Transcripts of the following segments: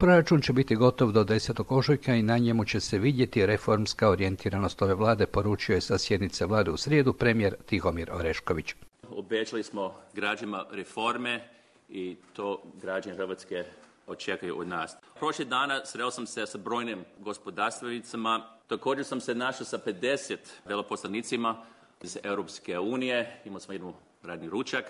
Proračun će biti gotov do 10. ožujka i na njemu će se vidjeti reformska orijentiranost ove vlade, poručio je sa sjednice vlade u srijedu premijer Tihomir Orešković. Obećali smo građanima reforme i to građani Hrvatske očekuju od nas. Prošli dana sreo sam se sa brojnim gospodarstvenicima. Također sam se našao sa 50 veleposlanicima iz Europske unije. Imali smo jedan radni ručak,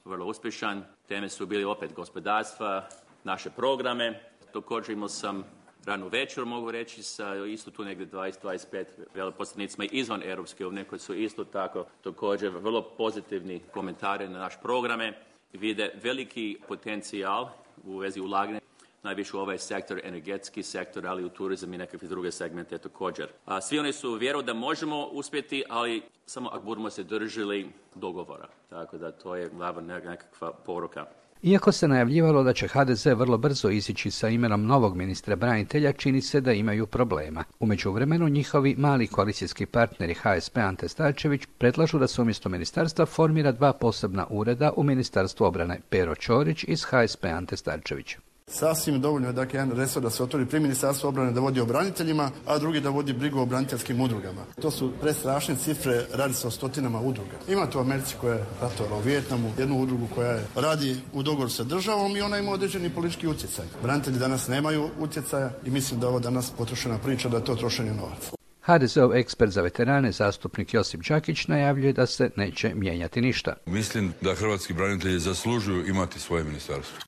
vrlo uspješan. Teme su bili opet gospodarstva, naše programe. Također imao sam ranu večer, mogu reći, sa isto tu negdje 20-25 veleposlanicima izvan Europske unije koji su isto tako također vrlo pozitivni komentari na naš programe. Vide veliki potencijal u vezi ulaganja, najviše u ovaj sektor, energetski sektor, ali u turizam i nekakve druge segmente također. Svi oni su vjeruju da možemo uspjeti, ali samo ako budemo se držali dogovora. Tako da to je glavna nekakva poruka. Iako se najavljivalo da će HDZ vrlo brzo izići sa imenom novog ministra branitelja, čini se da imaju problema. U međuvremenu njihovi mali koalicijski partneri HSP Ante Starčević predlažu da se umjesto ministarstva formira 2 posebna ureda u Ministarstvu obrane. Pero Ćorić iz HSP Ante Starčević. Sasvim dovoljno je dakle jedan resor da se otvori pri Ministarstvu obrane da vodi o braniteljima, a drugi da vodi brigu o braniteljskim udrugama. To su prestrašne cifre, radi se o stotinama udruga. Imate u Americi koja je ratovala u Vijetnamu, jednu udrugu koja radi u dogovoru sa državom i ona ima određeni politički utjecaj. Branitelji danas nemaju utjecaja i mislim da je ovo danas potrošena priča, da je to trošenje novaca. HDZ-ov ekspert za veterane, zastupnik Josip Đakić, najavljuje da se neće mijenjati ništa. Mislim da hrvatski branitelji zaslužuju imati svoje ministarstvo.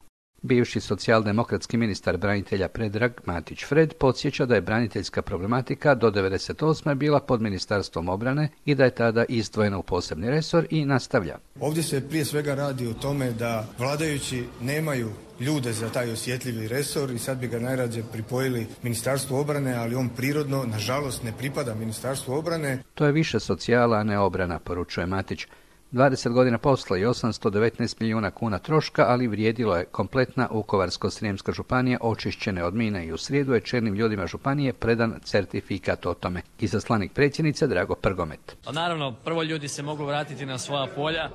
Bivši socijaldemokratski ministar branitelja Predrag Matić Fred podsjeća da je braniteljska problematika do 1998. bila pod Ministarstvom obrane i da je tada izdvojena u posebni resor i nastavlja. Ovdje se prije svega radi o tome da vladajući nemaju ljude za taj osjetljivi resor i sad bi ga najrađe pripojili Ministarstvu obrane, ali on prirodno, nažalost, ne pripada Ministarstvu obrane. To je više socijala, a ne obrana, poručuje Matić. 20 godina posla i 819 milijuna kuna troška, ali vrijedilo je kompletna Vukovarsko-srijemska županija očišćene od mina i u srijedu je čelnim ljudima županije predan certifikat o tome. Izaslanik predsjednice Drago Prgomet. Naravno, prvo ljudi se mogu vratiti na svoja polja,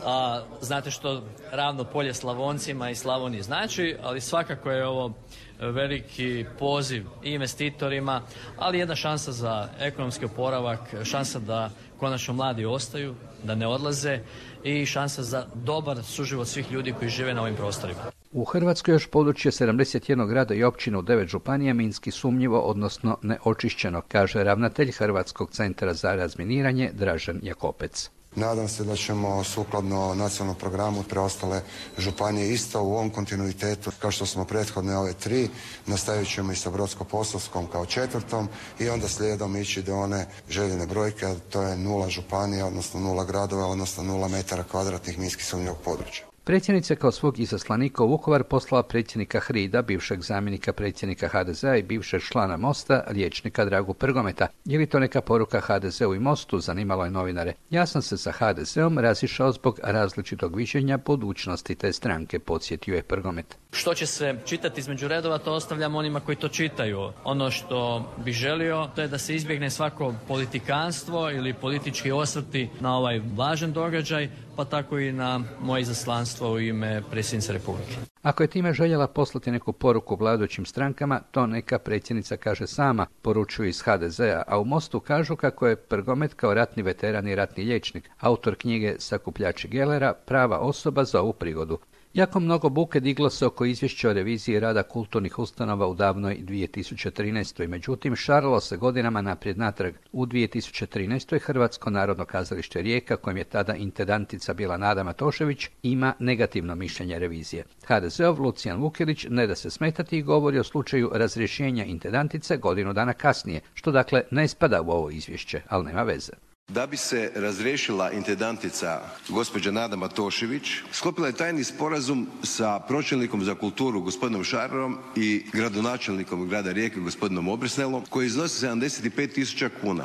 a znate što ravno polje Slavoncima i Slavoniji znači, ali svakako je ovo veliki poziv i investitorima, ali jedna šansa za ekonomski oporavak, šansa da konačno mladi ostaju, da ne odlaze i šansa za dobar suživot svih ljudi koji žive na ovim prostorima. U Hrvatskoj još područje 71 grada i općina u 9 županija minski sumnjivo, odnosno neočišćeno, kaže ravnatelj Hrvatskog centra za razminiranje Dražen Jakopec. Nadam se da ćemo sukladno nacionalnom programu preostale županije isto u ovom kontinuitetu kao što smo prethodne ove 3, nastavit ćemo i sa Brodsko-posavskom kao 4. i onda slijedom ići do one željene brojke, a to je 0 županija, odnosno 0 gradova, odnosno 0 metara kvadratnih minski sumnjivog područja. Predsjednica kao svog izaslanika u Vukovar poslala predsjednika HRID-a, bivšeg zamjenika predsjednika HDZ-a i bivšeg člana Mosta, liječnika Dragu Prgometa. Je li to neka poruka HDZ-u i Mostu, zanimalo je novinare. Ja sam se sa HDZ-om razišao zbog različitog viđenja budućnosti te stranke, podsjetio je Prgomet. Što će se čitati između redova, to ostavljam onima koji to čitaju. Ono što bih želio, to je da se izbjegne svako politikanstvo ili politički osvrti na ovaj važan događaj, pa tako i na moje izaslanstvo u ime predsjednice Republike. Ako je time željela poslati neku poruku vladajućim strankama, to neka predsjednica kaže sama, poručuju iz HDZ-a, a u Mostu kažu kako je Prgomet kao ratni veteran i ratni liječnik, autor knjige Sakupljači Gelera, prava osoba za ovu prigodu. Jako mnogo buke diglo se oko izvješća o reviziji rada kulturnih ustanova u davnoj 2013. Međutim, šaralo se godinama naprijed natrag. U 2013. Hrvatsko narodno kazalište Rijeka, kojem je tada intendantica bila Nada Matošević, ima negativno mišljenje revizije. HDZ-ov Lucijan Vukelić ne da se smetati i govori o slučaju razrješenja intendantice godinu dana kasnije, što dakle ne spada u ovo izvješće, ali nema veze. Da bi se razriješila intendantica gospođa Nada Matošević, sklopila je tajni sporazum sa pročelnikom za kulturu gospodinom Šararom i gradonačelnikom grada Rijeke gospodinom Obresnelom, koji iznosi 75.000 kuna.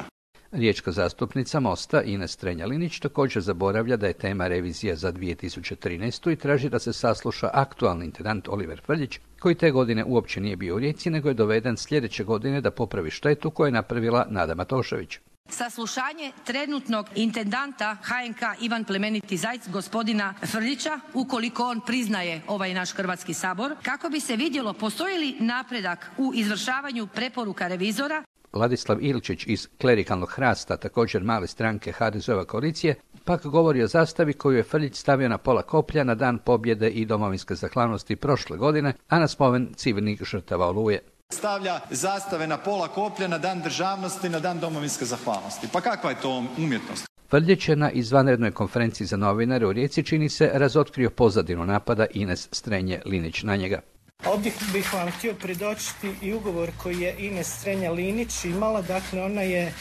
Riječka zastupnica Mosta Ines Strenja-Linić također zaboravlja da je tema revizija za 2013. i traži da se sasluša aktualni intendant Oliver Frljić, koji te godine uopće nije bio u Rijeci, nego je doveden sljedeće godine da popravi štetu koju je napravila Nada Matošević. saslušanje trenutnog intendanta HNK Ivan Plemeniti Zajc, gospodina Frljića, ukoliko on priznaje ovaj naš Hrvatski sabor, kako bi se vidjelo postoji li napredak u izvršavanju preporuka revizora. Ladislav Ilčić iz klerikalnog Hrasta, također male stranke HDZ-ova koalicije, pak govori o zastavi koju je Frljić stavio na pola koplja na dan pobjede i domovinske zahvalnosti prošle godine, a na spomen civilnih žrtava Oluje. Stavlja zastave na pola koplja na dan državnosti, na dan domovinske zahvalnosti. Pa kakva je to umjetnost? Frljić je na izvanrednoj konferenciji za novinare u Rijeci, čini se, razotkrio pozadinu napada Ines Strenje-Linić na njega. Ovdje bih vam htio predočiti i ugovor koji je Ines Strenja-Linić imala. Dakle, ona je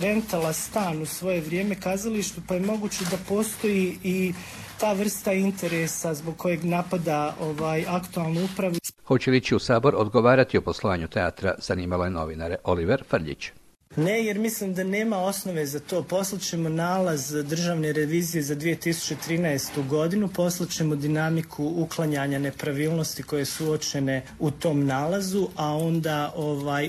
rentala stan u svoje vrijeme kazalištu, pa je moguće da postoji i ta vrsta interesa zbog kojeg napada aktualnu upravu. Hoće li ići u Sabor odgovarati o poslovanju teatra, zanimalo je novinare. Oliver Frljić. Ne, jer mislim da nema osnove za to. Poslaćemo nalaz državne revizije za 2013. godinu, poslaćemo dinamiku uklanjanja nepravilnosti koje su uočene u tom nalazu, a onda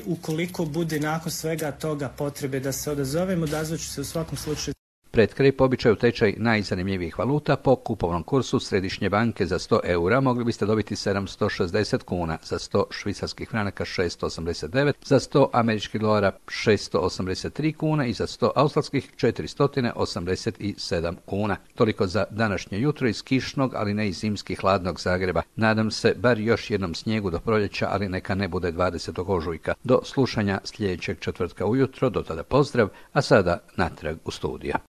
ukoliko bude nakon svega toga potrebe da se odazovemo, odazvaću se u svakom slučaju. Pred kraj po običaju tečaj najzanimljivijih valuta po kupovnom kursu Središnje banke za 100 eura mogli biste dobiti 760 kuna, za 100 švicarskih franaka 689, za 100 američkih dolara 683 kuna i za 100 australskih 487 kuna. Toliko za današnje jutro iz kišnog, ali ne i zimski hladnog Zagreba. Nadam se bar još jednom snijegu do proljeća, ali neka ne bude 20. ožujka. Do slušanja sljedećeg četvrtka ujutro, do tada pozdrav, a sada natrag u studiju.